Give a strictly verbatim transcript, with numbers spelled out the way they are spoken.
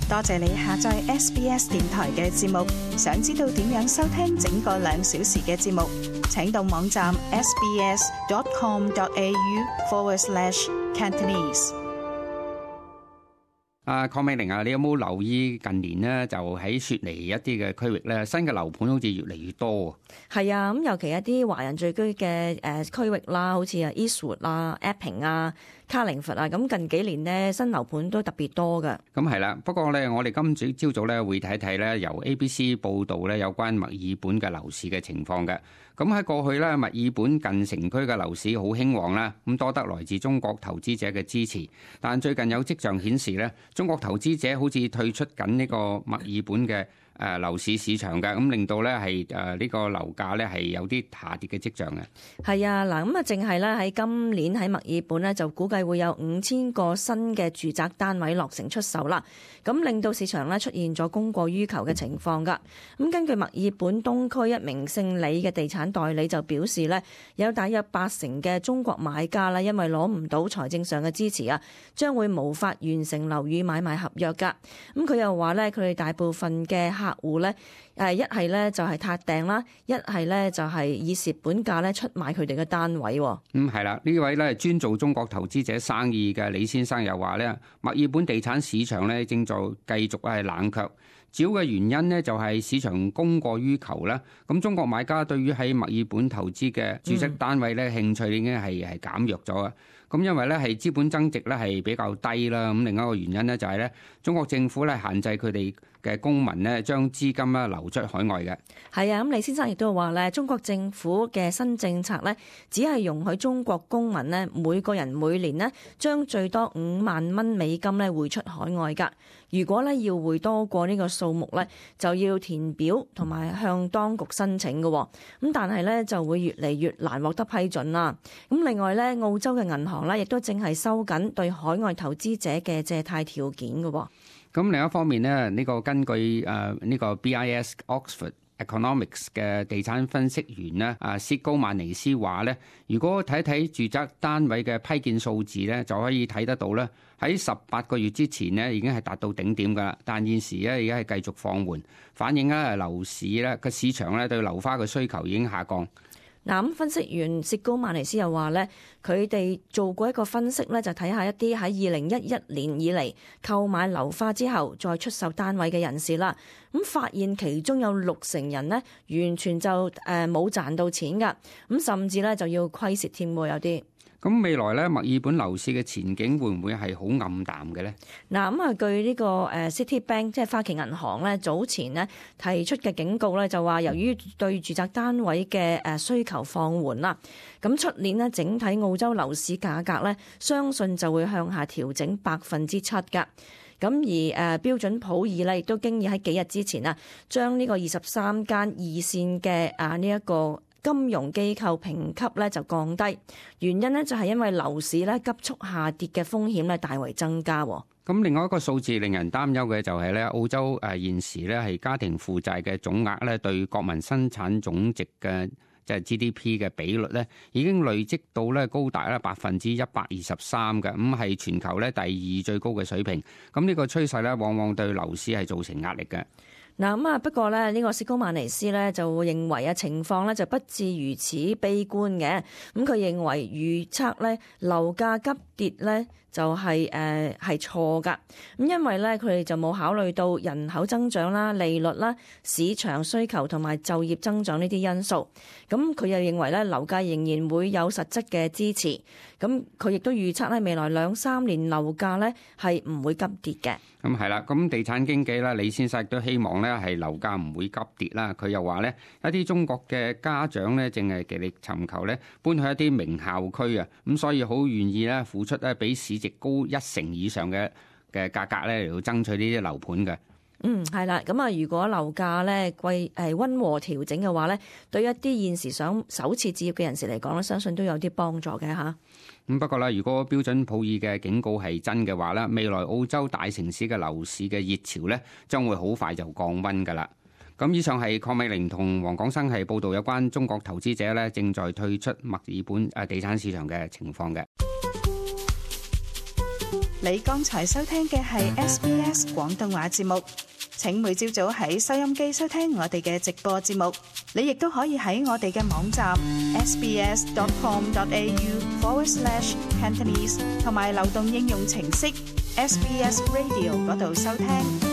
多謝你下載 S B S 電台嘅節目。想知道點樣收聽整個兩小時嘅節目，請到網站 sbs.com.au forward slash Cantonese。啊，鄺美玲啊，你有冇留意近年呢？就喺雪梨一啲嘅區域咧，新嘅樓盤好似越嚟越多。係啊，咁尤其一啲華人聚居嘅誒區域啦，好似啊 Eastwood 啊、Epping 啊、卡靈佛啊，咁近幾年呢，新樓盤都特別多㗎。咁係啦，不過咧，我哋今朝朝早咧會睇睇咧，由 A B C 報道咧有關墨爾本嘅樓市嘅情況嘅。咁喺過去咧，墨爾本近城區嘅樓市好興旺啦，咁多得來自中國投資者嘅支持。但最近有跡象顯示咧，中國投資者好似退出緊呢個墨爾本嘅誒樓市市場嘅，咁令到咧係誒呢個樓價咧係有啲下跌嘅跡象嘅。係啊，嗱咁啊，淨係咧喺今年喺墨爾本咧就估計會有五千個新嘅住宅單位落成出售啦，咁令到市場咧出現咗供過於求嘅情況㗎。咁根據墨爾本東區一名姓李嘅地產代理就表示咧，有大約八成嘅中國買家啦，因為攞唔到財政上嘅支持啊，將會無法完成樓宇買賣合約㗎。咁佢又話咧，佢哋大部分嘅客戶咧，誒一係咧就係撻訂啦，一係咧就係以蝕本價咧出賣佢哋嘅單位。嗯，係啦，呢位咧專做中國投資者生意嘅李先生又話咧，墨爾本地產市場咧正在繼續係冷卻，主要嘅原因呢，就係市場供過於求啦。咁中國買家對於喺墨爾本投資嘅住宅單位咧興趣已經係係減弱咗啊。咁因為咧係資本增值咧係比較低啦。咁另一個原因咧就係咧中國政府咧限制佢哋嘅公民咧將資金咧流出海外嘅。係啊，咁李先生亦都話咧，中國政府嘅新政策咧，只係容許中國公民咧每個人每年咧將最多五萬蚊美金咧匯出海外㗎。如果咧要匯多過呢個數目咧，就要填表同埋向當局申請嘅。咁但係咧就會越嚟越難獲得批准啦。咁另外咧，澳洲嘅銀行咧亦都正係收緊對海外投資者嘅借貸條件嘅。咁另一方面呢，呢個根據誒呢個 B I S Oxford Economics 嘅地產分析員呢，啊薛高曼尼斯話咧，如果睇睇住宅單位嘅批件數字咧，就可以睇得到咧，喺十八個月之前呢已經係達到頂點噶啦，但現時咧而家係繼續放緩，反映咧樓市咧個市場咧對樓花嘅需求已經下降。嗱，咁分析員薛高曼尼斯又話咧，佢哋做過一個分析咧，就睇下一啲喺二零一一年以嚟購買樓花之後再出售單位嘅人士啦，咁發現其中有六成人呢完全就誒冇賺到錢㗎，咁甚至咧就要虧蝕添喎，有啲。咁未來咧，墨爾本樓市嘅前景會唔會係好暗淡嘅咧？嗱，咁啊，據呢個誒 Citibank 即係花旗銀行咧，早前呢提出嘅警告咧，就話由於對住宅單位嘅誒需求放緩啦，咁出年呢整體澳洲樓市價格咧，相信就會向下調整百分之七㗎。咁而誒標準普爾咧，亦都經已喺幾日之前啊，將呢個二十三間二線嘅啊呢一個金融機構評級咧就降低，原因呢就係因為樓市咧急速下跌嘅風險咧大為增加。咁另外一個數字令人擔憂嘅就係咧，澳洲誒現時咧係家庭負債嘅總額咧對國民生產總值嘅即係 G D P 嘅比率咧，已經累積到咧高達咧百分之一百二十三嘅，咁係全球咧第二最高嘅水平。咁呢個趨勢咧，往往對樓市係造成壓力嘅。嗱咁啊，不過咧呢個薛高曼尼斯咧就會認為啊情況咧就不至如此悲觀嘅。咁佢認為預測咧樓價急跌咧就係誒係錯㗎。咁因為咧佢哋就冇考慮到人口增長啦、利率啦、市場需求同埋就業增長呢啲因素。咁佢又認為咧樓價仍然會有實質嘅支持。咁佢亦都預測咧未來兩三年樓價咧係唔會急跌嘅。咁係啦，咁地產經紀啦，李先生亦都希望咧係樓價唔會急跌啦。佢又話咧，一啲中國嘅家長咧，正係極力尋求咧搬去一啲名校區啊，咁所以好願意咧付出咧比市值高一成以上嘅嘅價格咧嚟到爭取呢啲樓盤嘅。嗯，係啦，咁啊，如果樓價咧貴誒溫和調整嘅話咧，對一啲現時想首次置業嘅人士嚟講咧，相信都有啲幫助嘅嚇。咁不過咧，如果標準普爾嘅警告係真嘅話咧，未來澳洲大城市嘅樓市嘅熱潮咧，將會好快就降溫㗎啦。咁以上係鄺美玲同黃廣生係報道有關中國投資者咧正在退出墨爾本誒地產市場嘅情況嘅。你剛才收聽嘅係 S B S 廣東話節目。請每朝早喺收音機收聽我哋嘅直播節目。你亦都可以喺我哋嘅網站 sbs.com.au forward slash Cantonese 同埋流動應用程式 S B S Radio 嗰度收聽。